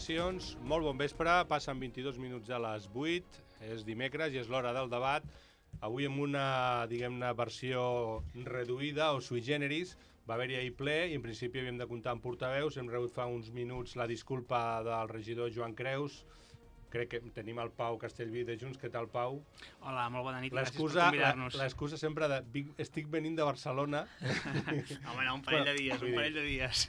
salutacions, molt bon vespre, passen 22 minuts a les 8, és dimecres i és l'hora del debat. Avui amb una, diguem-ne, versió reduïda o sui generis. Va haver-hi ahir ple i en principi havíem de comptar amb portaveus. Hem rebut fa uns minuts la disculpa del regidor Joan Creus. Crec que tenim el Pau Castellví de Junts. Què tal, Pau? Hola, molt bona nit, gràcies per convidar-nos. L'excusa sempre de estic venint de Barcelona. Home, no, un parell de dies.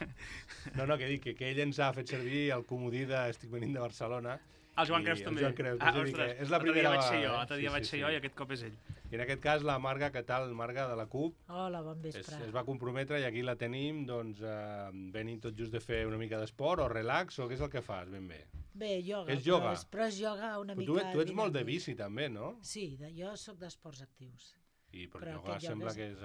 No, que dic que ell ens ha fet servir el comodí de estic venint de Barcelona. El Joan Creus també. El Joan Creus, ostres, és la primera vegada. L'altre dia vaig ser jo i aquest cop és ell. I en aquest cas la Marga, què tal, Marga, de la CUP? Hola, bon vespre. Es va comprometre i aquí la tenim, doncs, venint tot just de fer una mica d'esport o relax, o què és el que fas, ben bé? Bé, ioga. És ioga? Però és ioga una mica... Tu ets molt de bici, també, no? Sí, jo sóc d'esports actius. Però ioga sembla que és...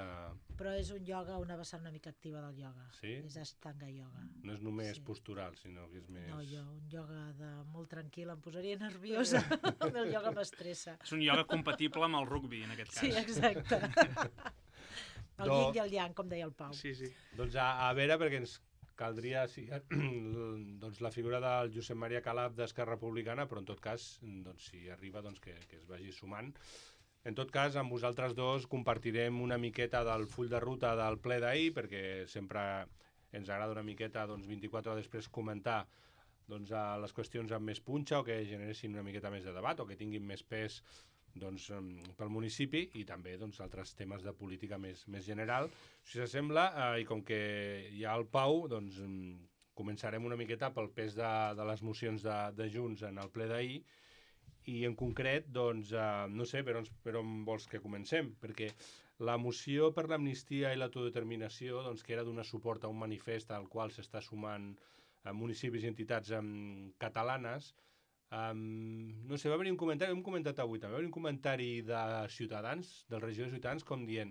Però és un ioga, una vessant una mica activa del ioga. Sí? És Ashtanga ioga. No és només postural, sinó que és més... No, un ioga molt tranquil em posaria nerviosa. El ioga m'estressa. És un ioga compatible amb el rugby, en aquest cas. Sí, exacte. El yin i el yang, com deia el Pau. Sí. Doncs a veure, perquè ens caldria doncs, la figura del Josep Maria Calaf d'Esquerra Republicana, però en tot cas, doncs, si arriba, doncs, que es vagi sumant. En tot cas, amb vosaltres dos compartirem una miqueta del full de ruta del ple d'ahir, perquè sempre ens agrada una miqueta, doncs, 24 hores després comentar doncs, les qüestions amb més punxa o que generessin una miqueta més de debat o que tinguin més pes doncs, pel municipi i també doncs, altres temes de política més general. Si s'assembla, i com que hi ha el Pau, doncs, començarem una miqueta pel pes de les mocions de Junts en el ple d'ahir. I en concret, doncs, no sé per on vols que comencem, perquè la moció per l'amnistia i l'autodeterminació, doncs, que era donar suport a un manifest al qual s'està sumant municipis i entitats catalanes, no sé, va haver un comentari, hem comentat avui també, va haver un comentari de Ciutadans, del regidor de Ciutadans, com dient,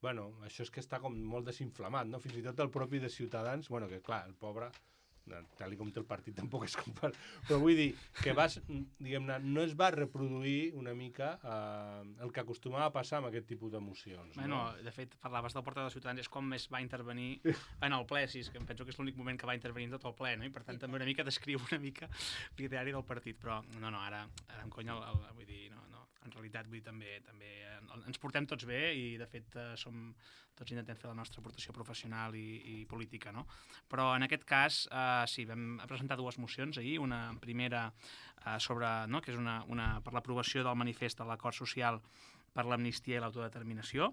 bueno, això és que està com molt desinflamat, no? Fins i tot el propi de Ciutadans, bueno, que clar, el pobre... tal com té el partit tampoc és compar, però vull dir que diguem-ne, no es va reproduir una mica el que acostumava a passar amb aquest tipus d'emocions. Bueno, no? De fet, parlaves del portaveu de Ciutadans, és com més va intervenir en el ple, sí, que em penso que és l'únic moment que va intervenir en tot el ple, no? I per tant també una mica descriu una mica l'ideari del partit, però no, ara en conya, vull dir, no, en realitat vull dir, també ens portem tots bé i de fet tots intentem fer la nostra aportació professional i política, no? Però en aquest cas sí, vam presentar dues mocions ahir, una primera sobre, no, que és una per l'aprovació del manifest de l'acord social per l'amnistia i l'autodeterminació,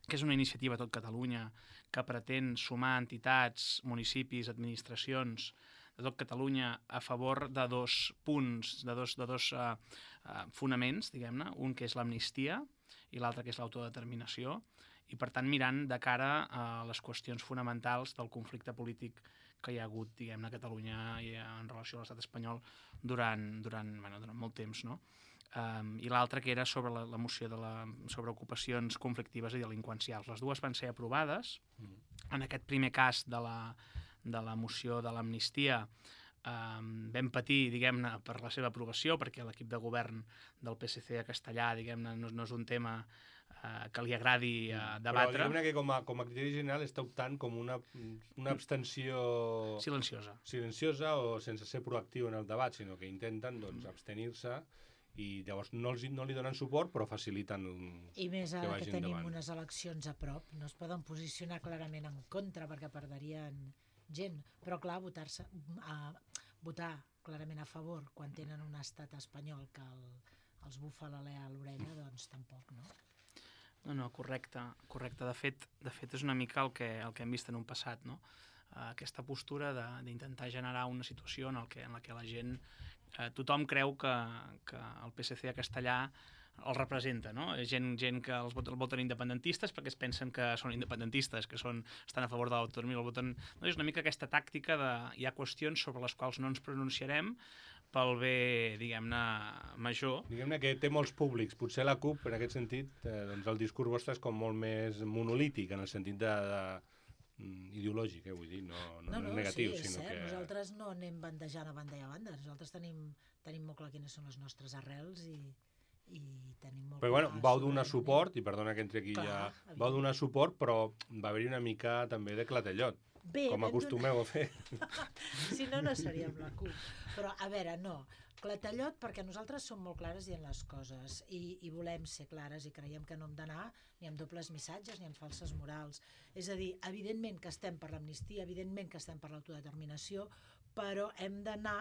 que és una iniciativa a tot Catalunya que pretén sumar entitats, municipis, administracions de tot Catalunya a favor de dos punts, de dos fonaments, diguem-ne, un que és l'amnistia i l'altre que és l'autodeterminació, i per tant mirant de cara a les qüestions fonamentals del conflicte polític que hi ha hagut, diguem-ne, a Catalunya i en relació a l'estat espanyol durant molt temps, no? I l'altre que era sobre la moció sobre ocupacions conflictives i delinqüencials. Les dues van ser aprovades. En aquest primer cas de la moció de l'amnistia vam patir, diguem-ne, per la seva aprovació, perquè l'equip de govern del PSC a Castellà, diguem-ne, no és un tema que li agradi debatre. Però diguem-ne que com a criteri general està optant com una abstenció... Silenciosa o sense ser proactiu en el debat, sinó que intenten doncs, abstenir-se i llavors no li donen suport però faciliten I més ara que tenim endavant. unes eleccions a prop, no es poden posicionar clarament en contra perquè perdrien gent, però clar, votar clarament a favor quan tenen un estat espanyol que els bufa l'alè a l'orella, doncs tampoc, no? No, correcte. De fet és una mica el que hem vist en un passat, no? Aquesta postura d'intentar generar una situació en la que la gent, tothom creu que el PSC a Castellà el representa, no? Gent que el voten independentistes perquè es pensen que són independentistes, que estan a favor de l'autonomia, el voten... No, és una mica aquesta tàctica hi ha qüestions sobre les quals no ens pronunciarem pel bé, diguem-ne, major. Diguem-ne que té molts públics. Potser la CUP, en aquest sentit, doncs el discurs vostre és com molt més monolític, en el sentit ideològic, vull dir, no negatiu. Sí, és sinó cert. que... Nosaltres no anem bandejant a banda i a banda. Nosaltres tenim molt clar quines són les nostres arrels i tenim molt clar... Però bueno, vau donar suport, i perdona que entri aquí ja, vau donar suport, però va haver-hi una mica també de clatellot. Bé, com acostumeu a fer. Si no, no seríem la CUP. Però, a veure, no. Clatellot, perquè nosaltres som molt clares dient les coses i volem ser clares i creiem que no hem d'anar ni amb dobles missatges ni amb falses morals. És a dir, evidentment que estem per l'amnistia, evidentment que estem per l'autodeterminació, però hem d'anar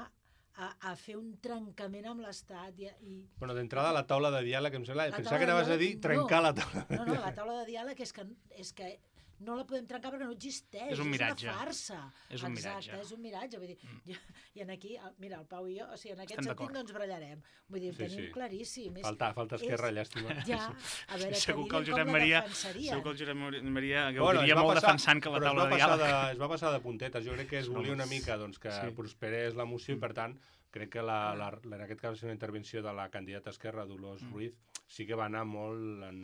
a fer un trencament amb l'Estat i... Bueno, d'entrada, la taula de diàleg, em sembla... La Pensava taula que de anaves a dir diàleg, trencar la taula de No, la taula de diàleg és que no la podem trencar perquè no existeix. És un miratge. És una farsa. És un miratge. Exacte, és un miratge. Vull dir, i aquí, mira, el Pau i jo, o sigui, en aquest Estem sentit d'acord. no ens barallarem. Vull dir, ho tenim claríssim. Falta Esquerra, llàstima. Ja, a veure, Segur que el Josep com la Maria, defensarien. segur que el Josep Maria Bueno, gaudiria molt defensant que la taula de diàleg... Es va passar de puntetes. Jo crec que es volia una mica doncs, que prosperés la moció i, per tant, crec que en aquest cas una intervenció de la candidata Esquerra, Dolors Ruiz, sí que va anar molt en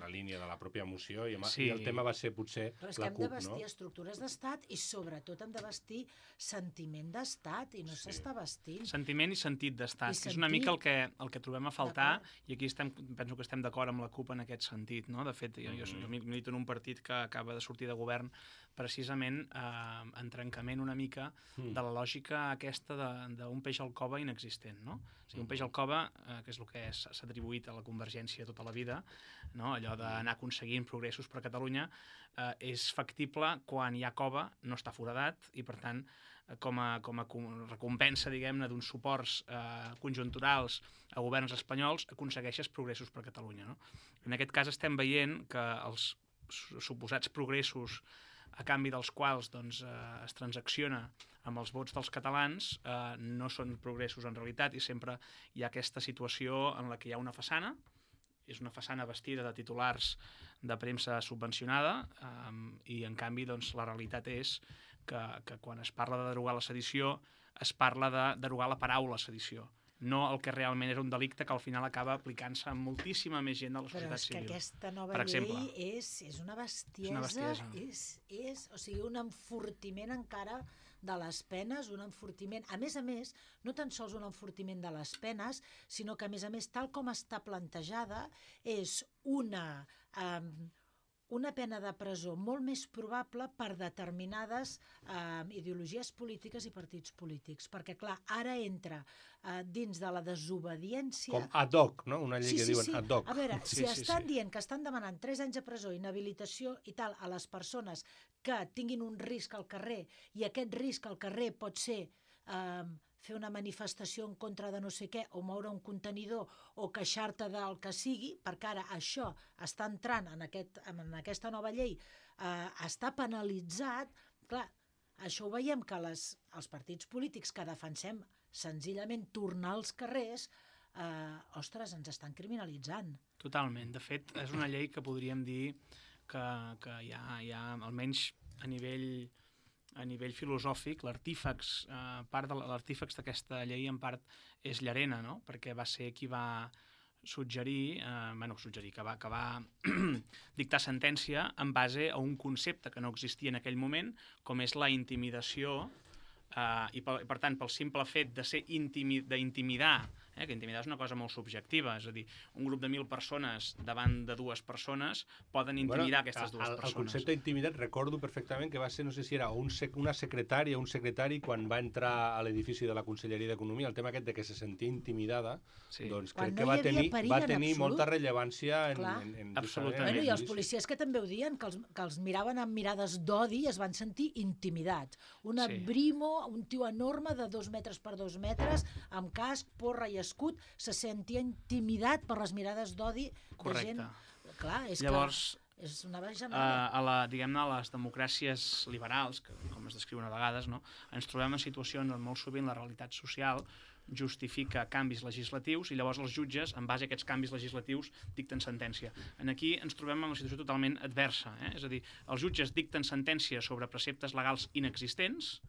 la línia de la pròpia moció i el tema va ser potser Però és que la hem CUP, de vestir no? estructures d'estat i sobretot hem de vestir sentiment d'estat i no s'està vestint. Sentiment i sentit d'estat, I que és una sentit. mica el que trobem a faltar, D'acord. i aquí penso que estem d'acord amb la CUP en aquest sentit, no? De fet, jo milito en un partit que acaba de sortir de govern precisament en trencament una mica de la lògica aquesta d'un peix al cova inexistent, no? O sigui, un peix al cova, que és el que s'ha atribuït a la Convergència tota la vida, no? Allò d'anar aconseguint progressos per a Catalunya, és factible quan hi ha cova, no està foradat, i per tant, com a recompensa, diguem-ne, d'uns suports conjunturals a governs espanyols, aconsegueixes progressos per a Catalunya, no? En aquest cas estem veient que els suposats progressos a canvi dels quals doncs, es transacciona amb els vots dels catalans, no són progressos en realitat, i sempre hi ha aquesta situació en la que hi ha una façana, és una façana vestida de titulars de premsa subvencionada, i en canvi doncs, la realitat és que quan es parla de derogar la sedició, es parla de derogar la paraula sedició, no el que realment era un delicte que al final acaba aplicant-se a moltíssima més gent de la societat civil. Però és que aquesta nova per exemple. llei és una bestiesa, és o sigui, un enfortiment encara de les penes, un enfortiment, a més, no tan sols un enfortiment de les penes, sinó que, a més, tal com està plantejada, és una pena de presó molt més probable per determinades ideologies polítiques i partits polítics. Perquè, clar, ara entra dins de la desobediència... Com ad hoc, no? Una llei que diuen ad hoc. A veure, si estan dient que estan demanant 3 anys de presó, inhabilitació i tal a les persones que tinguin un risc al carrer, i aquest risc al carrer pot ser fer una manifestació en contra de no sé què, o moure un contenidor, o queixar-te del que sigui, perquè ara això està entrant en aquesta nova llei, està penalitzat. Clar, això ho veiem que els partits polítics que defensem senzillament tornar als carrers, ostres, ens estan criminalitzant. Totalment. De fet, és una llei que podríem dir que hi ha almenys a nivell filosòfic, part de l'artífex d'aquesta llei en part és Llarena, no? Perquè va ser qui va suggerir, que va dictar sentència en base a un concepte que no existia en aquell moment, com és la intimidació, i per tant, pel simple fet de ser d'intimidar, que intimidar és una cosa molt subjectiva, és a dir, un grup de 1.000 persones davant de 2 persones poden intimidar aquestes 2 persones. El concepte d'intimidat recordo perfectament que va ser, no sé si era una secretària o un secretari quan va entrar a l'edifici de la Conselleria d'Economia, el tema aquest de que se sentia intimidada, doncs crec que va tenir molta rellevància en absolutament. I els policies que també ho diuen, que els miraven amb mirades d'odi i es van sentir intimidats. Una brimo, un tio enorme de 2 metres per 2 metres, amb casc, porra i escut, se sentia intimidat per les mirades d'odi de gent... Clar, és llavors, que és una bajanada. Diguem-ne, a les democràcies liberals, que com es descriuen a vegades, no, ens trobem en situacions on molt sovint la realitat social justifica canvis legislatius i llavors els jutges, en base a aquests canvis legislatius, dicten sentència. Aquí ens trobem en una situació totalment adversa, és a dir, els jutges dicten sentència sobre preceptes legals inexistents,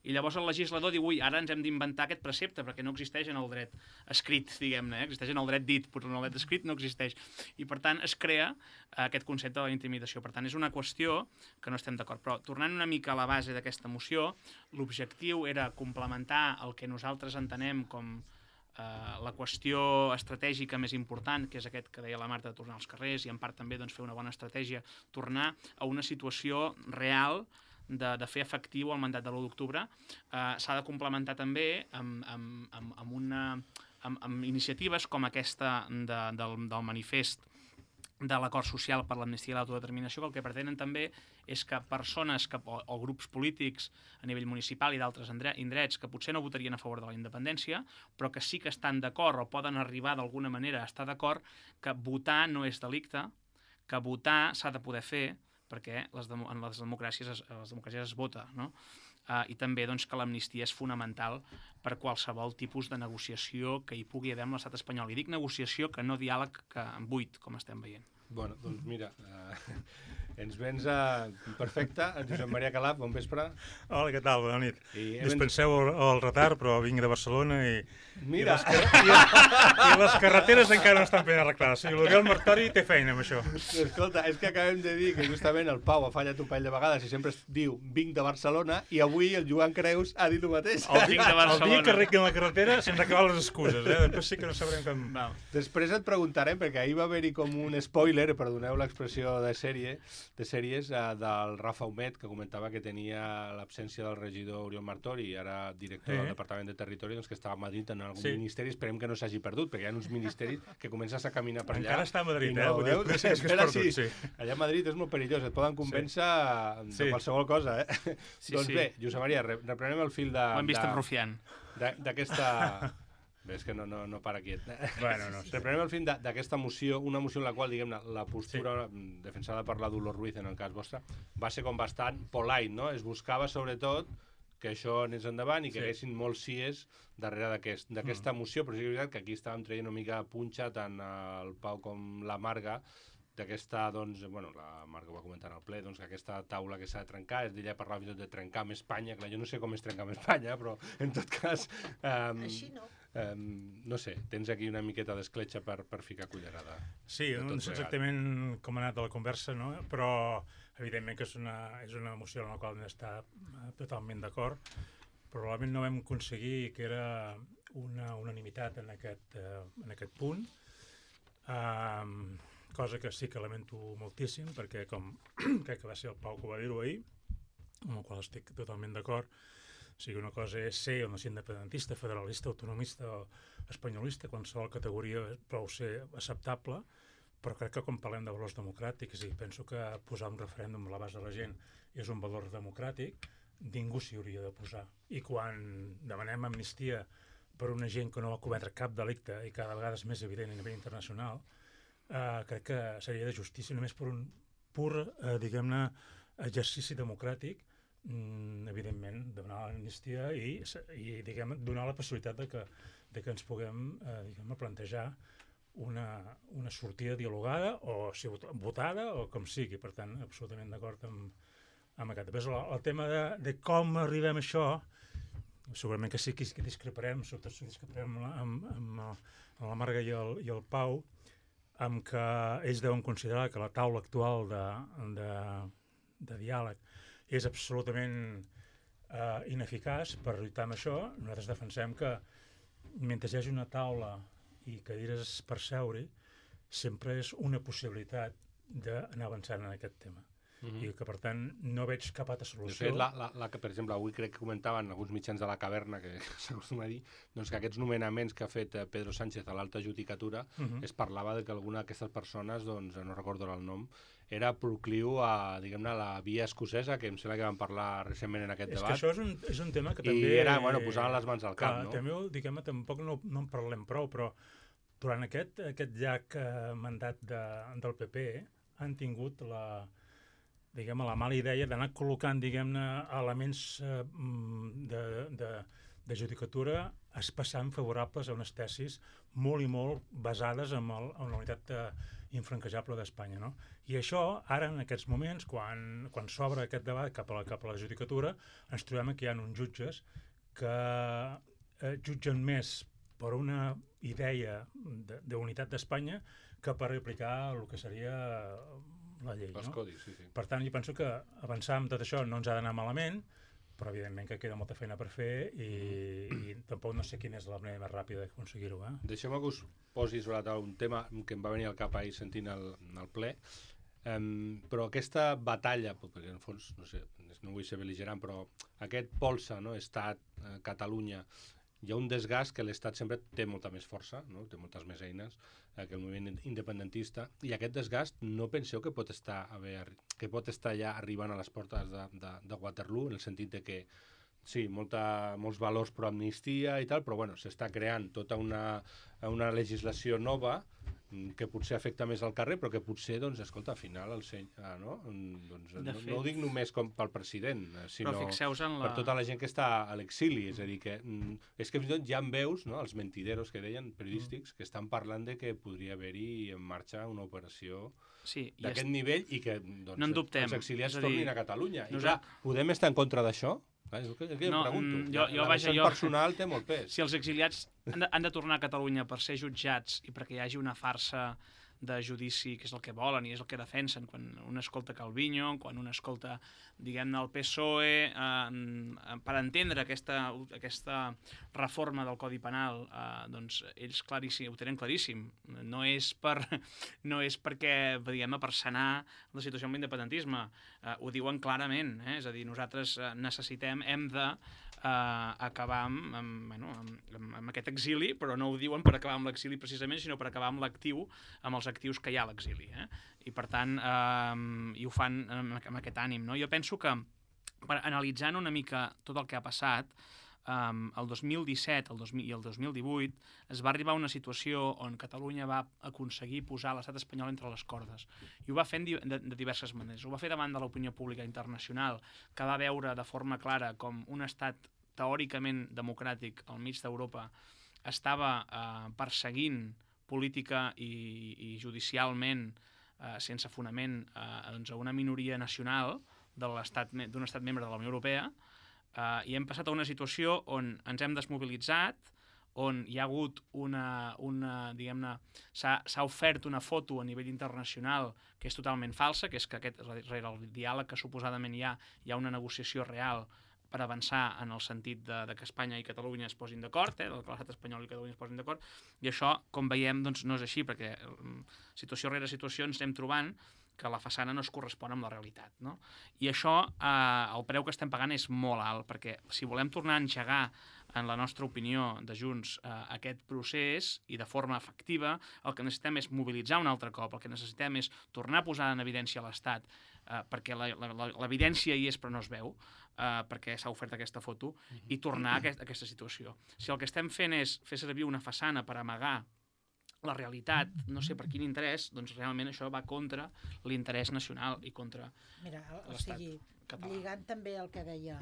i llavors el legislador diu, ara ens hem d'inventar aquest precepte perquè no existeix en el dret escrit, diguem-ne, existeix en el dret dit, però en el dret escrit no existeix. I per tant es crea aquest concepte de la intimidació. Per tant, és una qüestió que no estem d'acord. Però tornant una mica a la base d'aquesta moció, l'objectiu era complementar el que nosaltres entenem com la qüestió estratègica més important, que és aquest que deia la Marta de tornar als carrers, i en part també fer una bona estratègia, tornar a una situació real de fer efectiu el mandat de l'1 d'octubre, s'ha de complementar també amb iniciatives com aquesta del manifest de l'acord social per l'amnistia i l'autodeterminació, que el que pretenen també és que persones o grups polítics a nivell municipal i d'altres indrets que potser no votarien a favor de la independència, però que sí que estan d'acord o poden arribar d'alguna manera a estar d'acord que votar no és delicte, que votar s'ha de poder fer, perquè en les democràcies es vota, no? I també doncs, que l'amnistia és fonamental per qualsevol tipus de negociació que hi pugui haver amb l'estat espanyol. I dic negociació, que no diàleg buit, com estem veient. Bueno, doncs mira, ens vens perfecte, en Josep Maria Calaf, bon vespre. Hola, què tal? Bona nit. Dispenseu el retard, però vinc de Barcelona i les carreteres encara no estan ben arreglades. I l'Oriol Martori té feina amb això. Escolta, és que acabem de dir que justament el Pau ha fallat un parell de vegades i sempre es diu vinc de Barcelona, i avui el Joan Creus ha dit el mateix. El dia que arreglin la carretera se'ns acaben les excuses, després sí que no sabrem com... Després et preguntarem, perquè ahir va haver-hi com un spoiler, perdoneu l'expressió de sèries, del Rafa Humet, que comentava que tenia l'absència del regidor Oriol Martori, ara director del Departament de Territori, doncs que estava a Madrid en algun ministeri. Esperem que no s'hagi perdut, perquè hi ha uns ministeris que comences a caminar per allà. Encara està a Madrid, Allà a Madrid és molt perillós, et poden convèncer de qualsevol cosa, Doncs bé, Josep Maria, reprenem el fil Ho hem vist en Rufián. D'aquesta... Bé, és que no para quiet. Bueno, no sé. Reprenem el fin d'aquesta moció, una moció en la qual, diguem-ne, la postura defensada per la Dolors Ruiz, en el cas vostre, va ser com bastant polite, no? Es buscava, sobretot, que això anés endavant i que haguessin molts sies darrere d'aquesta moció, però sí que és veritat que aquí estàvem traient una mica punxa tant el Pau com la Marga, d'aquesta, doncs, bueno, la Marga ho va comentar al ple, doncs, que aquesta taula que s'ha de trencar, ella parlava fins i tot de trencar amb Espanya, clar, jo no sé com es trenca amb Espanya, però en tot cas... Així no. No sé, tens aquí una miqueta d'escletxa per ficar cullerada. Sí, no sé exactament com ha anat la conversa, no? Però evidentment que és una emoció en la qual hem d'estar totalment d'acord. Probablement no vam aconseguir que era una unanimitat en aquest punt, cosa que sí que lamento moltíssim, perquè com crec que va ser el Pau que va dir-ho ahir, amb el qual estic totalment d'acord. O sigui, una cosa és ser o no ser independentista, federalista, autonomista o espanyolista, qualsevol categoria prou ser acceptable, però crec que quan parlem de valors democràtics, i penso que posar un referèndum a l'abast de la gent és un valor democràtic, ningú s'hi hauria de posar. I quan demanem amnistia per una gent que no va cometre cap delicte, i cada vegada és més evident a nivell internacional, crec que seria de justícia només per un pur, diguem-ne, exercici democràtic, evidentment, donar l'amnistia i diguem, donar la possibilitat de que ens puguem plantejar una sortida dialogada o votada o com sigui. Per tant, absolutament d'acord amb aquest. Després, el tema de com arribem a això, segurament que sí que discreparem, sobretot si discreparem amb la Marga i el Pau, amb que ells deuen considerar que la taula actual de diàleg és absolutament ineficaç per lluitar amb això. Nosaltres defensem que mentre hi hagi una taula i cadires per seure, sempre és una possibilitat d'anar avançant en aquest tema. I que, per tant, no veig cap altra solució. De fet, per exemple, avui crec que comentaven alguns mitjans de la caverna, que s'acostuma a dir, doncs que aquests nomenaments que ha fet Pedro Sánchez a l'alta judicatura, es parlava de que alguna d'aquestes persones, doncs, no recordo el nom, era procliu a, diguem-ne, la via escocesa, que em sembla que vam parlar recentment en aquest debat. És que això és un tema que també... I era, bueno, posaven les mans al cap, no? També, diguem-ne, tampoc no en parlem prou, però durant aquest llarg mandat del PP han tingut la mala idea d'anar col·locant, diguem-ne, elements de judicatura especialment favorables a unes tesis molt i molt basades en la unitat infranquejable d'Espanya, no? I això, ara, en aquests moments, quan s'obre aquest debat cap a la judicatura, ens trobem que hi ha uns jutges que jutgen més per una idea d'unitat d'Espanya que per aplicar el que seria la llei. Els codis, sí. Per tant, jo penso que avançar amb tot això no ens ha d'anar malament, però evidentment que queda molta feina per fer i tampoc no sé quina és la manera més ràpida d'aconseguir-ho. Deixeu-me que us posi sobre la taula un tema que em va venir al cap ahir sentint el ple. Però aquesta batalla, perquè en el fons, no sé, no vull ser bel·ligerant, però aquest polsa, no? Estat, Catalunya, hi ha un desgast que l'Estat sempre té molta més força, no? Té moltes més eines que el moviment independentista, i aquest desgast no penseu que pot estar ja arribant a les portes de Waterloo, en el sentit de que sí, molts valors pro amnistia i tal, però bueno, s'està creant tota una legislació nova que potser afecta més al carrer, però que potser, doncs, escolta, al final, no ho dic només com pel president, sinó per tota la gent que està a l'exili. És a dir, que és que fins i tot ja en veus, no?, els mentideros que deien, periodístics, que estan parlant de que podria haver-hi en marxa una operació d'aquest nivell i que els exiliats tornin a Catalunya. I clar, podem estar en contra d'això? És el que jo pregunto. La vessant personal té molt pes. Si els exiliats han de tornar a Catalunya per ser jutjats i perquè hi hagi una farsa de judici, que és el que volen i és el que defensen, quan un escolta Calviño, quan un escolta, diguem-ne, el PSOE, per entendre aquesta reforma del Codi Penal, doncs ells ho tenen claríssim. No és perquè, diguem-ne, per sanar la situació amb l'independentisme. Ho diuen clarament, és a dir, nosaltres hem de acabar amb aquest exili, però no ho diuen per acabar amb l'exili precisament, sinó per acabar amb els actius que hi ha a l'exili. I per tant, i ho fan amb aquest ànim. Jo penso que, analitzant una mica tot el que ha passat, el 2017 i el 2018 es va arribar a una situació on Catalunya va aconseguir posar l'estat espanyol entre les cordes. I ho va fer de diverses maneres. Ho va fer davant de l'opinió pública internacional, que va veure de forma clara com un estat teòricament democràtic al mig d'Europa estava perseguint política i judicialment, sense fonament, a una minoria nacional d'un estat membre de la Unió Europea, i hem passat a una situació on ens hem desmobilitzat, on hi ha hagut diguem-ne, s'ha ofert una foto a nivell internacional que és totalment falsa, que és que rere el diàleg que suposadament hi ha una negociació real per avançar en el sentit de que Espanya i Catalunya es posin d'acord, que l'estat espanyol i Catalunya es posin d'acord, i això, com veiem, doncs no és així, perquè situació rere situació ens anem trobant que la façana no es correspon amb la realitat, no? I això, el preu que estem pagant és molt alt, perquè si volem tornar a engegar, en la nostra opinió de Junts, aquest procés i de forma efectiva, el que necessitem és mobilitzar un altre cop, el que necessitem és tornar a posar en evidència l'Estat, perquè l'evidència hi és però no es veu, perquè s'ha ofert aquesta foto, i tornar a aquesta situació. Si el que estem fent és fer servir una façana per amagar la realitat, no sé per quin interès, doncs realment això va contra l'interès nacional i contra l'estat català. Lligant també el que deia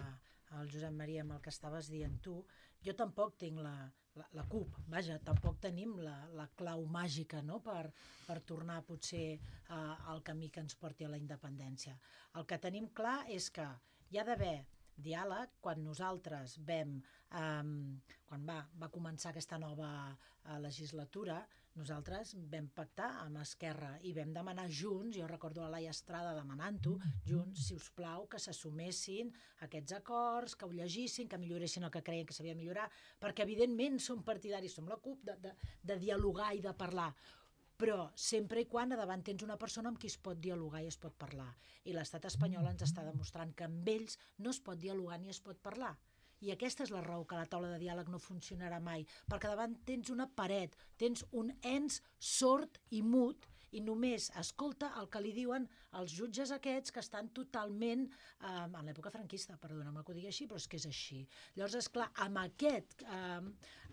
el Josep Maria amb el que estaves dient tu, jo tampoc tinc la CUP, vaja, tampoc tenim la clau màgica, no?, per tornar potser al camí que ens porti a la independència. El que tenim clar és que hi ha d'haver diàleg. Quan nosaltres quan va començar aquesta nova legislatura, nosaltres vam pactar amb Esquerra i vam demanar junts, jo recordo a Laia Estrada demanant-ho, junts, si us plau, que s'assumessin aquests acords, que ho llegissin, que milloressin el que creien que s'havia de millorar, perquè evidentment som partidaris, som la CUP, de dialogar i de parlar, però sempre i quan a davant tens una persona amb qui es pot dialogar i es pot parlar. I l'estat espanyol ens està demostrant que amb ells no es pot dialogar ni es pot parlar. I aquesta és la raó que la taula de diàleg no funcionarà mai, perquè davant tens una paret, tens un ens sord i mut, i només escolta el que li diuen els jutges aquests que estan totalment en l'època franquista, perdona'm que ho digui així, però és que és així. Llavors, esclar, amb aquest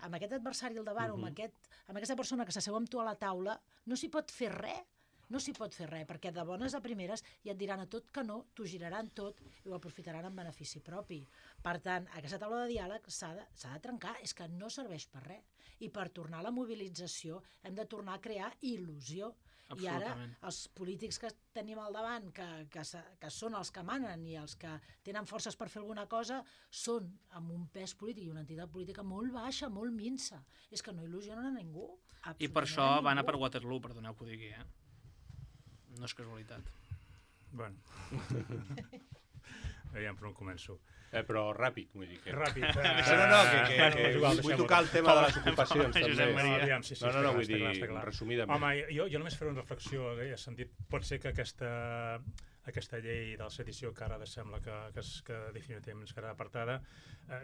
adversari al davant, amb aquesta persona que s'asseu amb tu a la taula, no s'hi pot fer res. No s'hi pot fer res, perquè de bones a primeres ja et diran a tot que no, t'ho giraran tot i ho aprofitaran en benefici propi. Per tant, aquesta taula de diàleg s'ha de trencar, és que no serveix per res. I per tornar a la mobilització hem de tornar a crear il·lusió. I ara els polítics que tenim al davant, que són els que manen i els que tenen forces per fer alguna cosa, són amb un pes polític i una entitat política molt baixa, molt minsa. És que no il·lusionen a ningú. I per això van a per Waterloo, perdoneu que ho digui, No és casualitat. Bueno. Aviam per on començo. Però ràpid, vull dir que... Ràpid. Vull tocar el tema de les ocupacions, Josep també. Maria. Aviam, sí, No, vull està dir, clar. resumidament. Home, jo només faré una reflexió, he sentit, pot ser que aquesta llei de la sedició que ara sembla que definitivament es quedarà apartada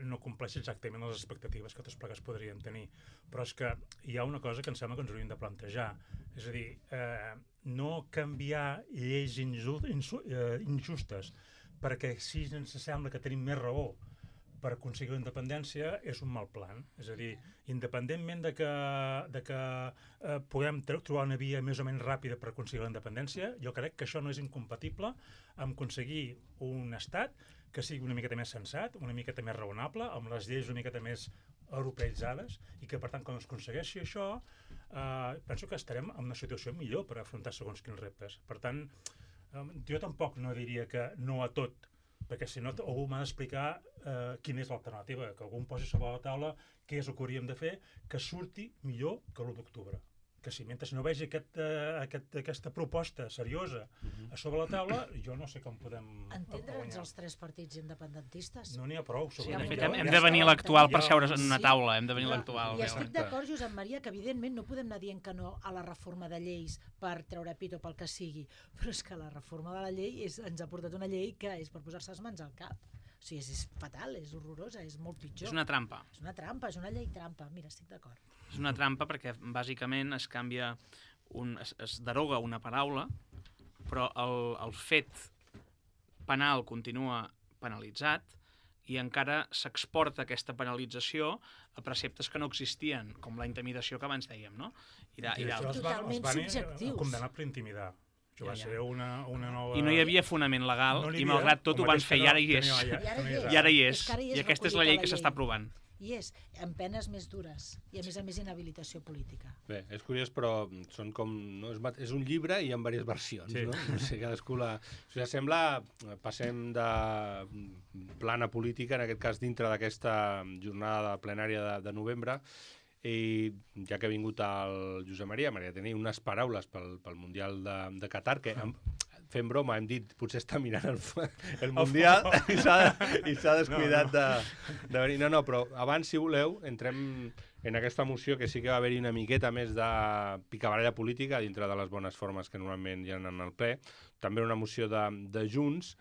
no compleix exactament les expectatives que tots plegats podríem tenir. Però és que hi ha una cosa que em sembla que ens hauríem de plantejar. És a dir, no canviar lleis injustes perquè si ens sembla que tenim més raó per aconseguir la independència és un mal plan. És a dir, independentment de que puguem trobar una via més o menys ràpida per aconseguir la independència, jo crec que això no és incompatible amb aconseguir un estat que sigui una miqueta més sensat, una miqueta més raonable, amb les lleis una miqueta més europeïtzades, i que, per tant, quan es aconsegueixi això, penso que estarem en una situació millor per afrontar segons quins reptes. Per tant, jo tampoc no diria que no a tot, perquè si no algú m'ha d'explicar quina és l'alternativa, que algú em posi sobre la taula què és el que hauríem de fer que surti millor que l'1 d'octubre. Que si mentre no vegi aquesta proposta seriosa a sobre la taula, jo no sé com podem... Entendre'ns els tres partits independentistes? No n'hi ha prou. Sí, de fet, hem de venir l'actual per seure en una taula, hem de venir l'actual. I estic d'acord, Josep Maria, que evidentment no podem anar dient que no a la reforma de lleis per treure pit o pel que sigui, però és que la reforma de la llei ens ha portat una llei que és per posar-se les mans al cap. O sigui, és fatal, és horrorosa, és molt pitjor. És una trampa. És una trampa, és una llei trampa. Mira, estic d'acord. És una trampa perquè, bàsicament, es canvia, es deroga una paraula, però el fet penal continua penalitzat i encara s'exporta aquesta penalització a preceptes que no existien, com la intimidació que abans dèiem, no? Totalment subjectius. Condemnat per intimidar. Això va ser una nova... I no hi havia fonament legal, i malgrat tot ho van fer, i ara hi és. I ara hi és. I aquesta és la llei que s'està aprovant. I és amb penes més dures i a més inhabilitació política. Bé, és curiós, però són com... No, és un llibre i amb diverses versions, sí. No? No sé, cadascú la... O sigui, sembla... Passem de plana política, en aquest cas dintre d'aquesta jornada plenària de novembre, i ja que ha vingut el Josep Maria, m'agradaria tenir unes paraules pel Mundial de Qatar, que fent broma hem dit potser està mirant el Mundial i s'ha descuidat de venir. No, però abans, si voleu, entrem en aquesta moció que sí que va haver-hi una miqueta més de picabaralla política dintre de les bones formes que normalment hi ha en el ple. També una moció de Junts,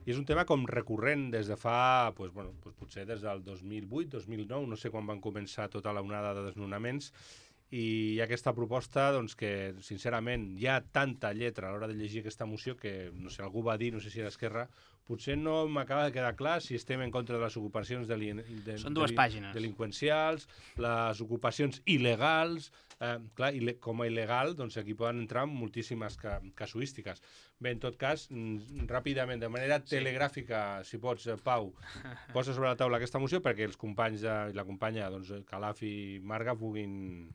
i és un tema com recurrent des de fa, potser des del 2008, 2009, no sé quan van començar tota la onada de desnonaments, i hi ha aquesta proposta que, sincerament, hi ha tanta lletra a l'hora de llegir aquesta moció que, no sé, algú va dir, no sé si era Esquerra, potser no m'acaba de quedar clar si estem en contra de les ocupacions Són 2 pàgines. Delinqüencials, les ocupacions il·legals, clar, com a il·legal, aquí poden entrar moltíssimes casuístiques. Bé, en tot cas, ràpidament, de manera telegràfica, si pots, Pau, posa sobre la taula aquesta moció perquè els companys i la companya, Calaf i Marga, puguin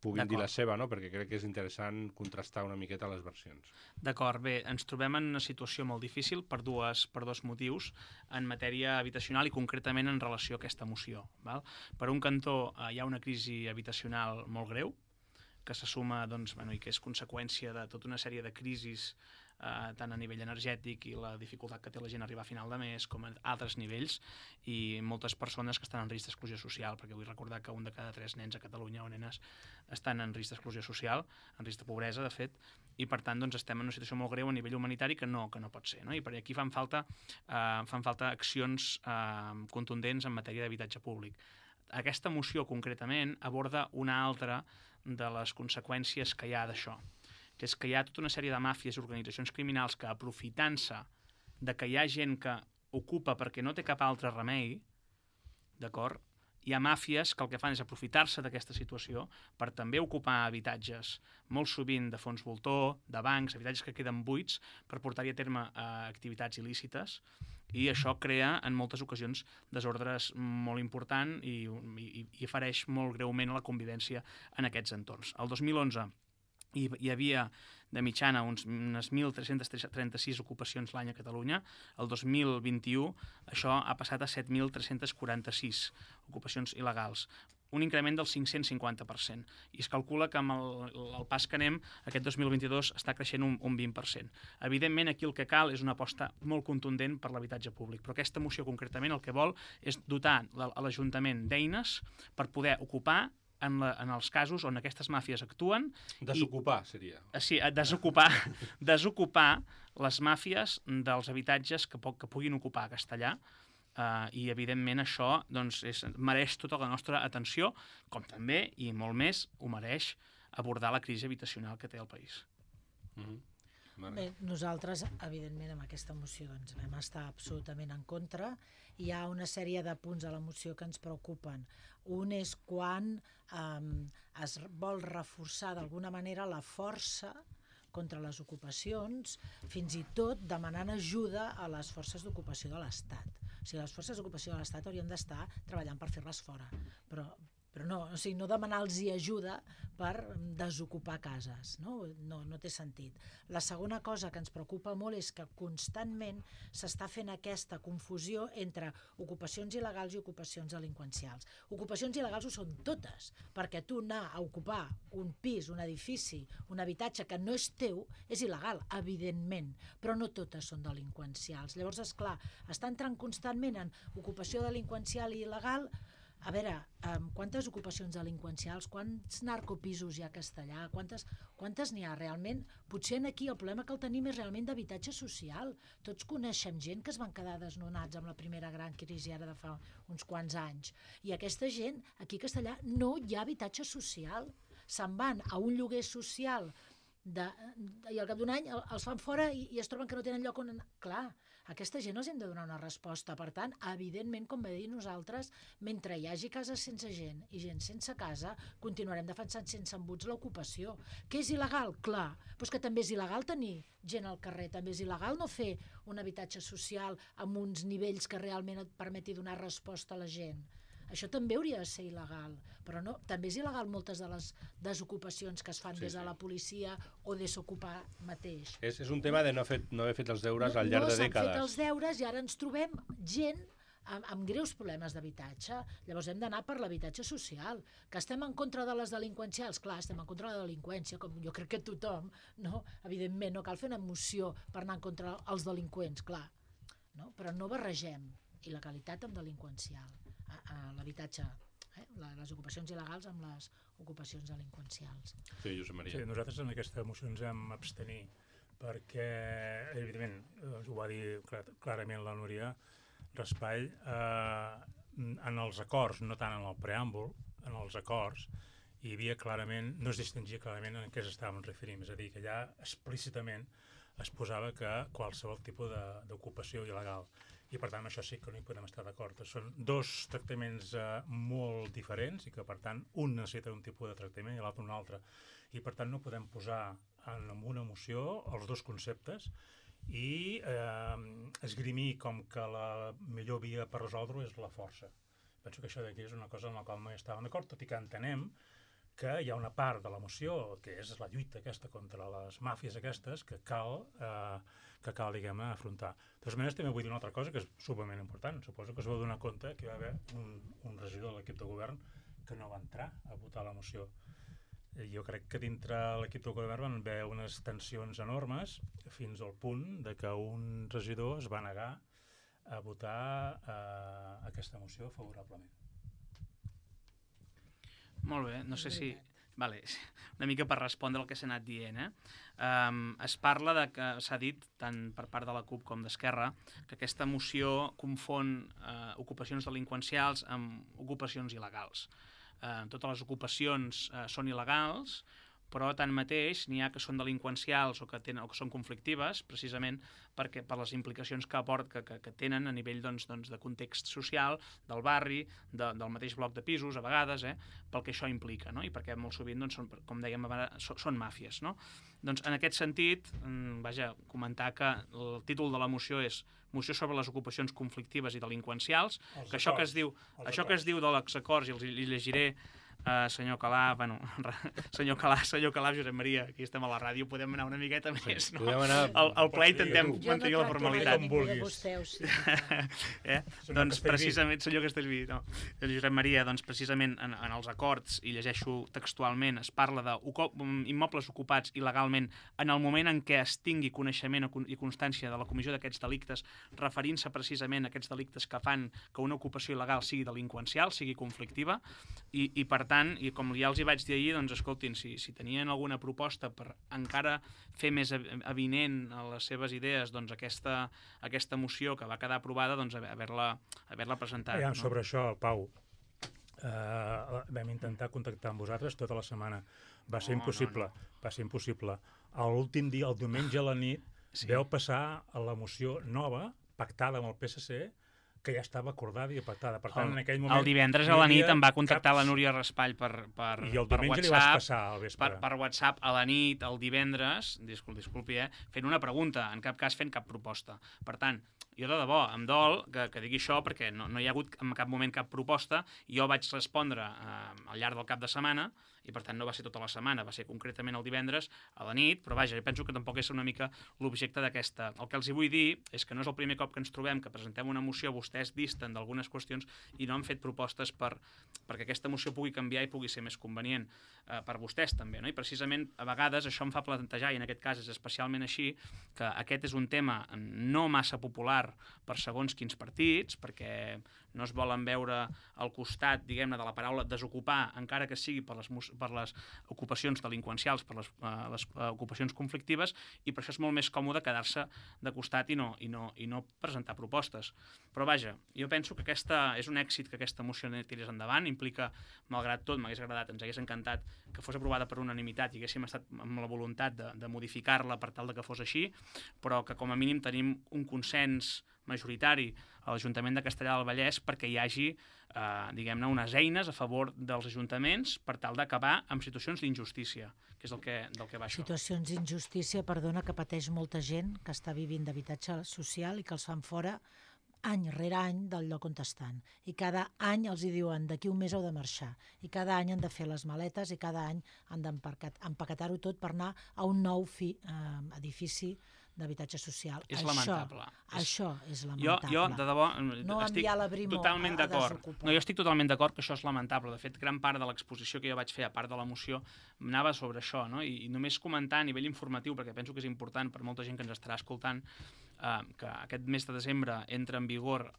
dir la seva, no? Perquè crec que és interessant contrastar una miqueta les versions. D'acord, bé, ens trobem en una situació molt difícil per dos motius en matèria habitacional i concretament en relació a aquesta moció. Val? Per un cantó, hi ha una crisi habitacional molt greu, que se suma i que és conseqüència de tota una sèrie de crisis tant a nivell energètic i la dificultat que té la gent a arribar a final de mes com a altres nivells, i moltes persones que estan en risc d'exclusió social, perquè vull recordar que 1 de cada 3 nens a Catalunya o nenes estan en risc d'exclusió social, en risc de pobresa, de fet, i per tant estem en una situació molt greu a nivell humanitari que no pot ser, no? I per aquí fan falta accions contundents en matèria d'habitatge públic. Aquesta moció concretament aborda una altra de les conseqüències que hi ha d'això, que és que hi ha tota una sèrie de màfies i organitzacions criminals que, aprofitant-se de que hi ha gent que ocupa perquè no té cap altre remei, d'acord? Hi ha màfies que el que fan és aprofitar-se d'aquesta situació per també ocupar habitatges, molt sovint de fons voltor, de bancs, habitatges que queden buits per portar-hi a terme activitats il·lícites, i això crea en moltes ocasions desordres molt important i fereix molt greument la convivència en aquests entorns. El 2011 hi havia de mitjana unes 1.336 ocupacions l'any a Catalunya. El 2021 això ha passat a 7.346 ocupacions il·legals. un increment del 550%. I es calcula que amb el pas que anem, aquest 2022 està creixent un 20%. Evidentment, aquí el que cal és una aposta molt contundent per l'habitatge públic, però aquesta moció concretament el que vol és dotar a l'Ajuntament d'eines per poder ocupar en els casos on aquestes màfies actuen. Desocupar, seria. Sí, desocupar les màfies dels habitatges que puguin ocupar a Castellar. I evidentment això doncs, mereix tota la nostra atenció, com també, i molt més, ho mereix abordar la crisi habitacional que té el país. Bé, nosaltres, evidentment, amb aquesta moció doncs, vam estar absolutament en contra. Hi ha una sèrie de punts a la moció que ens preocupen. Un és quan es vol reforçar d'alguna manera la força contra les ocupacions, fins i tot demanant ajuda a les forces d'ocupació de l'Estat. O sigui, les forces d'ocupació de l'Estat haurien d'estar treballant per fer-les fora, però no, o sigui, no demanar-los ajuda per desocupar cases, no té sentit. La segona cosa que ens preocupa molt és que constantment s'està fent aquesta confusió entre ocupacions il·legals i ocupacions delinqüencials. Ocupacions il·legals ho són totes, perquè tu anar a ocupar un pis, un edifici, un habitatge que no és teu, és il·legal, evidentment, però no totes són delinqüencials. Llavors, esclar, està entrant constantment en ocupació delinqüencial i il·legal. A veure, quantes ocupacions delinqüencials, quants narcopisos hi ha a Castellar, quantes n'hi ha realment? Potser aquí el problema que el tenim és realment d'habitatge social. Tots coneixem gent que es van quedar desnonats amb la primera gran crisi ara de fa uns quants anys. I aquesta gent, aquí a Castellar, no hi ha habitatge social. Se'n van a un lloguer social i al cap d'un any els fan fora i es troben que no tenen lloc on anar. Clar, a aquesta gent els hem de donar una resposta. Per tant, evidentment, com va dir nosaltres, mentre hi hagi cases sense gent i gent sense casa, continuarem defensant sense embuts l'ocupació. Que és il·legal? Clar, però és que també és il·legal tenir gent al carrer, també és il·legal no fer un habitatge social amb uns nivells que realment et permeti donar resposta a la gent. Això també hauria de ser il·legal, però no, també és il·legal moltes de les desocupacions que es fan des de la policia o desocupar mateix. És un tema de no haver fet els deures al llarg de dècades. No s'han fet els deures i ara ens trobem gent amb greus problemes d'habitatge. Llavors hem d'anar per l'habitatge social. Que estem en contra de les delinqüencials? Clar, estem en contra de la delinqüència, com jo crec que tothom, no? Evidentment, no cal fer una moció per anar en contra dels delinqüents, clar. No? Però no barregem il·legalitat amb delinqüencial. L'habitatge, les ocupacions il·legals amb les ocupacions delinqüencials. Sí, Josep Maria. Sí, nosaltres en aquesta moció ens hem abstenir perquè, evidentment, ho va dir clarament la Núria Raspall, en els acords, no tant en el preàmbul, en els acords, hi havia clarament, no es distingia clarament en què estàvem referint, és a dir, que allà explícitament es posava que qualsevol tipus d'ocupació il·legal. I per tant, això sí que no hi podem estar d'acord. Són dos tractaments molt diferents i que, per tant, un necessita un tipus de tractament i l'altre un altre. I, per tant, no podem posar en una moció els dos conceptes i esgrimir com que la millor via per resoldre-ho és la força. Penso que això d'aquí és una cosa en la qual no hi estàvem d'acord, tot i que entenem que hi ha una part de la moció, que és la lluita aquesta contra les màfies aquestes, que cal diguem-ne, afrontar. De totes maneres, també vull dir una altra cosa que és superment important. Suposo que us vau donar compte que hi va haver un regidor de l'equip de govern que no va entrar a votar la moció. Jo crec que dintre l'equip de govern van haver unes tensions enormes fins al punt de que un regidor es va negar a votar aquesta moció favorablement. Molt bé, no sé si... Vale, una mica per respondre al que s'ha anat dient. Es parla de que s'ha dit, tant per part de la CUP com d'Esquerra, que aquesta moció confon ocupacions delinqüencials amb ocupacions il·legals. Totes les ocupacions són il·legals, però tanmateix n'hi ha que són delinqüencials o que són conflictives, precisament per les implicacions que tenen a nivell de context social, del barri, del mateix bloc de pisos, a vegades, pel que això implica, no? I perquè molt sovint, com dèiem abans, són màfies. No? Doncs en aquest sentit, comentar que el títol de la moció és Moció sobre les ocupacions conflictives i delinqüencials, que això que es diu de l'exacords, i els llegiré senyor Calaf, bueno, senyor Calaf, Josep Maria, aquí estem a la ràdio, podem anar una miqueta més, no? Podem anar... Al ple intentem mantenir la formalitat. Jo no tracto mai de vostè, o sigui. Doncs precisament, senyor Castellví, no. Josep Maria, doncs precisament en els acords, i llegeixo textualment, es parla d'immobles ocupats il·legalment en el moment en què es tingui coneixement i constància de la comissió d'aquests delictes, referint-se precisament a aquests delictes que fan que una ocupació il·legal sigui delinqüencial, sigui conflictiva, i per tant, i com ja els hi vaig dir ahir, doncs escoltin, si tenien alguna proposta per encara fer més avinent a les seves idees doncs aquesta moció que va quedar aprovada, doncs haver-la presentat. Ja, sobre això, Pau, vam intentar contactar amb vosaltres tota la setmana. Va ser impossible. Va ser impossible. L'últim dia, el diumenge a la nit, veu passar la moció nova, pactada amb el PSC, que ja estava acordada i pactada. Per tant, en aquell moment... El divendres a la nit em va contactar la Núria Raspall per WhatsApp. I el diumenge li vas passar al vespre. Per WhatsApp a la nit, el divendres, disculpi, fent una pregunta, en cap cas fent cap proposta. Per tant, jo de debò, em dol que digui això perquè no hi ha hagut en cap moment cap proposta. Jo vaig respondre al llarg del cap de setmana i per tant no va ser tota la setmana, va ser concretament el divendres a la nit, però vaja, jo penso que tampoc és una mica l'objecte d'aquesta. El que els hi vull dir és que no és el primer cop que ens trobem que presentem una moció, vostès disten d'algunes qüestions i no han fet propostes perquè aquesta moció pugui canviar i pugui ser més convenient per vostès també, no? I precisament a vegades això em fa plantejar, i en aquest cas és especialment així, que aquest és un tema no massa popular per segons quins partits, perquè no es volen veure al costat, diguem-ne, de la paraula desocupar, encara que sigui per les ocupacions delinqüencials, per les ocupacions conflictives, i per això és molt més còmode quedar-se de costat i no presentar propostes. Però vaja, jo penso que és un èxit que aquesta moció tirés endavant, implica, malgrat tot, m'hagués agradat, ens hagués encantat que fos aprovada per unanimitat i haguéssim estat amb la voluntat de modificar-la per tal de que fos així, però que com a mínim tenim un consens majoritari a l'Ajuntament de Castellar del Vallès perquè hi hagi, diguem-ne, unes eines a favor dels ajuntaments per tal d'acabar amb situacions d'injustícia, que és del que va això. Situacions d'injustícia, perdona, que pateix molta gent que està vivint d'habitatge social i que els fan fora any rere any del lloc on estan. I cada any els hi diuen d'aquí un mes heu de marxar. I cada any han de fer les maletes i cada any han d'empaquetar-ho tot per anar a un nou edifici d'habitatge social. És lamentable. Això és lamentable. Jo de debò, no estic totalment d'acord. No, jo estic totalment d'acord que això és lamentable. De fet, gran part de l'exposició que jo vaig fer, a part de la moció, anava sobre això, no? I només comentar a nivell informatiu, perquè penso que és important per molta gent que ens estarà escoltant, que aquest mes de desembre entra en vigor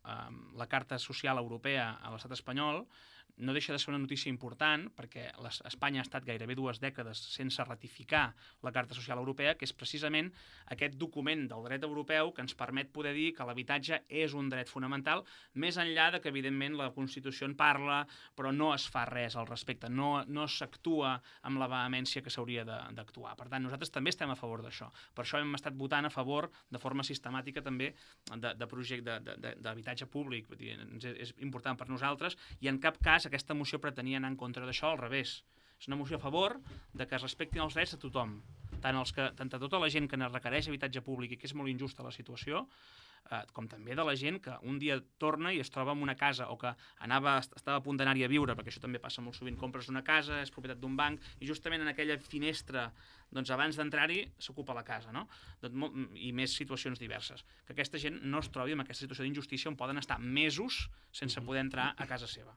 la Carta Social Europea a l'estat espanyol. No deixa de ser una notícia important perquè Espanya ha estat gairebé 2 dècades sense ratificar la Carta Social Europea, que és precisament aquest document del dret europeu que ens permet poder dir que l'habitatge és un dret fonamental, més enllà de que, evidentment, la Constitució en parla, però no es fa res al respecte, no s'actua amb la vehemència que s'hauria d'actuar. Per tant, nosaltres també estem a favor d'això. Per això hem estat votant a favor, de forma sistemàtica també, de projecte d'habitatge públic. És important per nosaltres i en cap cas aquesta moció pretenia anar en contra d'això, al revés. És una moció a favor de que es respectin els drets de tothom, tant a tota la gent que requereix habitatge públic i que és molt injusta la situació, com també de la gent que un dia torna i es troba en una casa o que estava a punt d'anar-hi a viure, perquè això també passa molt sovint, compres una casa, és propietat d'un banc, i justament en aquella finestra, doncs abans d'entrar-hi, s'ocupa la casa, no? I més situacions diverses. Que aquesta gent no es trobi en aquesta situació d'injustícia on poden estar mesos sense poder entrar a casa seva.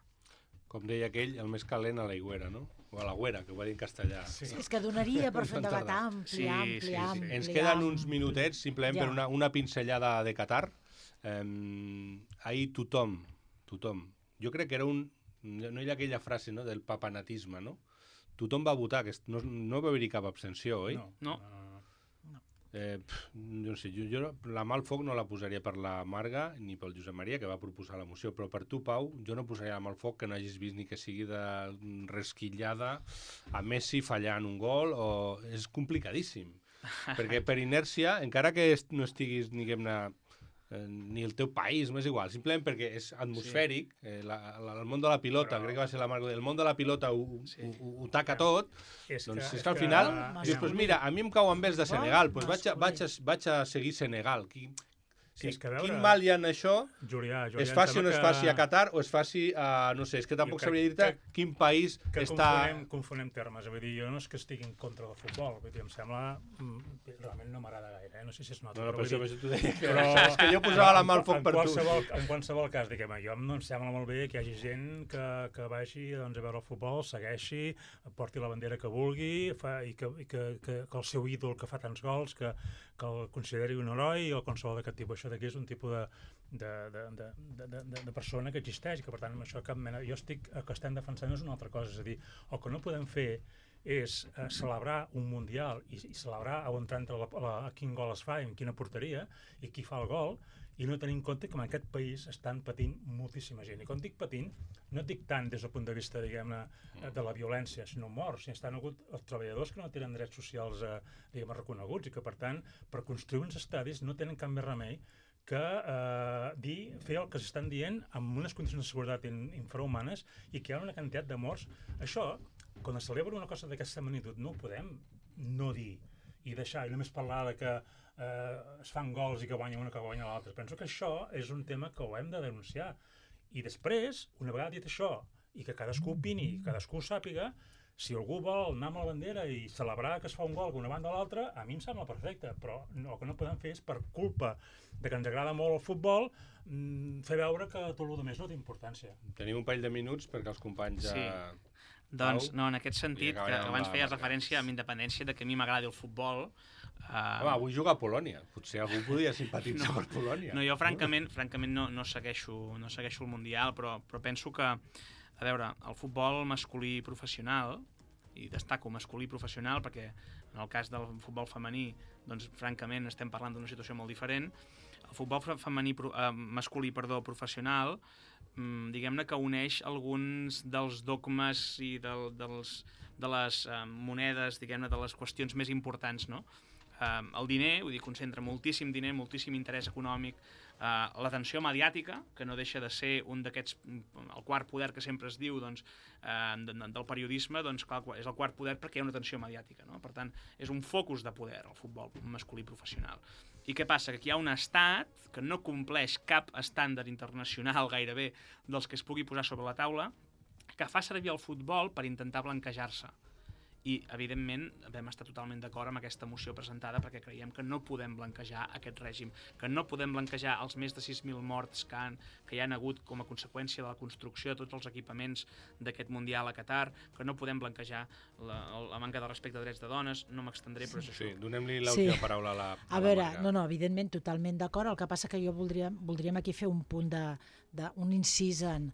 Com deia aquell, el més calent a l'aigüera, no? O a l'agüera, que ho va dir en castellà. Sí, és que donaria per fer un debat ampli. Ens queden uns minutets, simplement per una pinzellada de Qatar. Ahir tothom, jo crec que era no hi ha aquella frase, no?, del papanatisme, no? Tothom va votar, no va haver-hi cap abstenció, oi? No. Jo no sé, jo la mà al foc no la posaria per la Marga ni pel Josep Maria, que va proposar la moció, però per tu, Pau, jo no posaria la mà al foc que no hagis vist ni que sigui de resquitllada a Messi fallant un gol, és complicadíssim, perquè per inèrcia, encara que no estiguis, diguem-ne, ni el teu país, m'és igual, simplement perquè és atmosfèric, el món de la pilota, crec que va ser la Marga, el món de la pilota ho taca tot, doncs és que al final dius, pues mira, a mi em cau en vez de Senegal, pues vaig a seguir Senegal. Sí, És que a veure, quin mal hi ha en això? Julià, Es faci o no es faci a Qatar o es faci a... No sé, és que tampoc sabria dir-te quin país està... Confonem termes. Vull dir, jo no és que estigui en contra del futbol. Vull dir, em sembla... Realment no m'agrada gaire, no sé si es nota. No, però això t'ho deia. Però és que jo posava la mà al foc per tu. En qualsevol cas, diguem, jo em sembla molt bé que hi hagi gent que vagi doncs, a veure el futbol, segueixi, porti la bandera que vulgui i que el seu ídol que fa tants gols, que el consideri un heroi o qualsevol d'aquest tipus. Això d'aquí és un tipus de persona que existeix, que per tant amb això cap mena... Jo el que estem defensant és una altra cosa, és a dir, el que no podem fer és celebrar un mundial i celebrar on entra quin gol es fa i en quina porteria i qui fa el gol, i no tenir en compte que en aquest país estan patint moltíssima gent. I quan dic patint, no et dic tant des del punt de vista, diguem-ne, de la violència, sinó morts. Si estan hagut els treballadors que no tenen drets socials, diguem-ne, reconeguts i que, per tant, per construir uns estadis no tenen cap més remei que fer el que s'estan dient amb unes condicions de seguretat infrahumanes i que hi ha una quantitat de morts. Això, quan es celebra una cosa d'aquesta magnitud, no ho podem no dir i deixar, i només parlar de que es fan gols i que guanya una que guanya l'altra. Penso que això és un tema que ho hem de denunciar. I després, una vegada dit això, i que cadascú opini, cadascú sàpiga, si algú vol anar amb la bandera i celebrar que es fa un gol d'una banda a l'altra, a mi em sembla perfecte, però el que no podem fer és, per culpa de que ens agrada molt el futbol, fer veure que tot el més no té importància. Tenim un parell de minuts perquè els companys ja... Sí. Doncs, no, en aquest sentit, que abans feies referència amb independència de que a mi m'agradi el futbol... Home, avui juga a Polònia. Potser algú podria simpatitzar per Polònia. No, jo francament no segueixo el Mundial, però penso que, a veure, el futbol masculí professional, i destaco masculí professional perquè en el cas del futbol femení, doncs francament estem parlant d'una situació molt diferent. El futbol masculí professional, diguem-ne que uneix alguns dels dogmes i de les monedes, diguem-ne, de les qüestions més importants, no? El diner, vull dir, concentra moltíssim diner, moltíssim interès econòmic, l'atenció mediàtica, que no deixa de ser un d'aquests, el quart poder que sempre es diu, doncs, del periodisme, doncs, clar, és el quart poder perquè hi ha una atenció mediàtica, no? Per tant, és un focus de poder, el futbol masculí professional. I què passa? Que aquí hi ha un estat que no compleix cap estàndard internacional gairebé dels que es pugui posar sobre la taula, que fa servir el futbol per intentar blanquejar-se. I, evidentment, vam estar totalment d'acord amb aquesta moció presentada perquè creiem que no podem blanquejar aquest règim, que no podem blanquejar els més de 6.000 morts que hi han hagut com a conseqüència de la construcció de tots els equipaments d'aquest Mundial a Qatar, que no podem blanquejar la manca de respecte a drets de dones, no m'extendré, però és això. Sí, donem-li l'última paraula a la A veure, no, evidentment, totalment d'acord, el que passa que jo voldríem aquí fer un punt un incís en...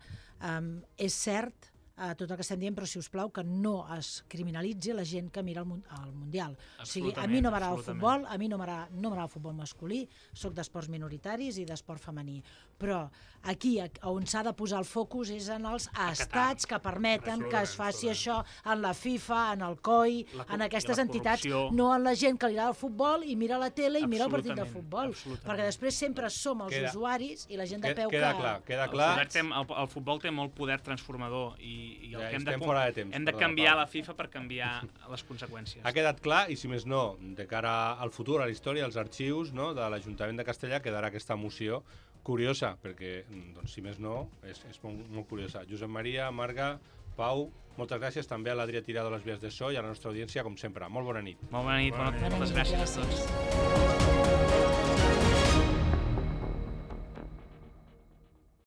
És cert tot el que estem dient, però si us plau que no es criminalitzi la gent que mira el Mundial. O sigui, a mi no m'agrada el futbol, a mi no m'agrada el futbol masculí, soc d'esports minoritaris i d'esport femení, però aquí on s'ha de posar el focus és en els estats que permeten que es faci això, en la FIFA, en el COI, en aquestes entitats, no en la gent que li agrada el futbol i mira la tele i mira el partit de futbol, perquè després sempre som els usuaris i la gent de peu que... Queda clar. El futbol té molt poder transformador i el que hem de temps, canviar la FIFA per canviar les conseqüències. Ha quedat clar i, si més no, de cara al futur, a la història, als arxius de l'Ajuntament de Castellar, quedarà aquesta moció curiosa, perquè, doncs, si més no, és molt curiosa. Josep Maria, Marga, Pau, moltes gràcies també a l'Adrià Tirado a les vies de so i a la nostra audiència, com sempre. Molt bona nit. Molt bona nit, moltes gràcies a tots.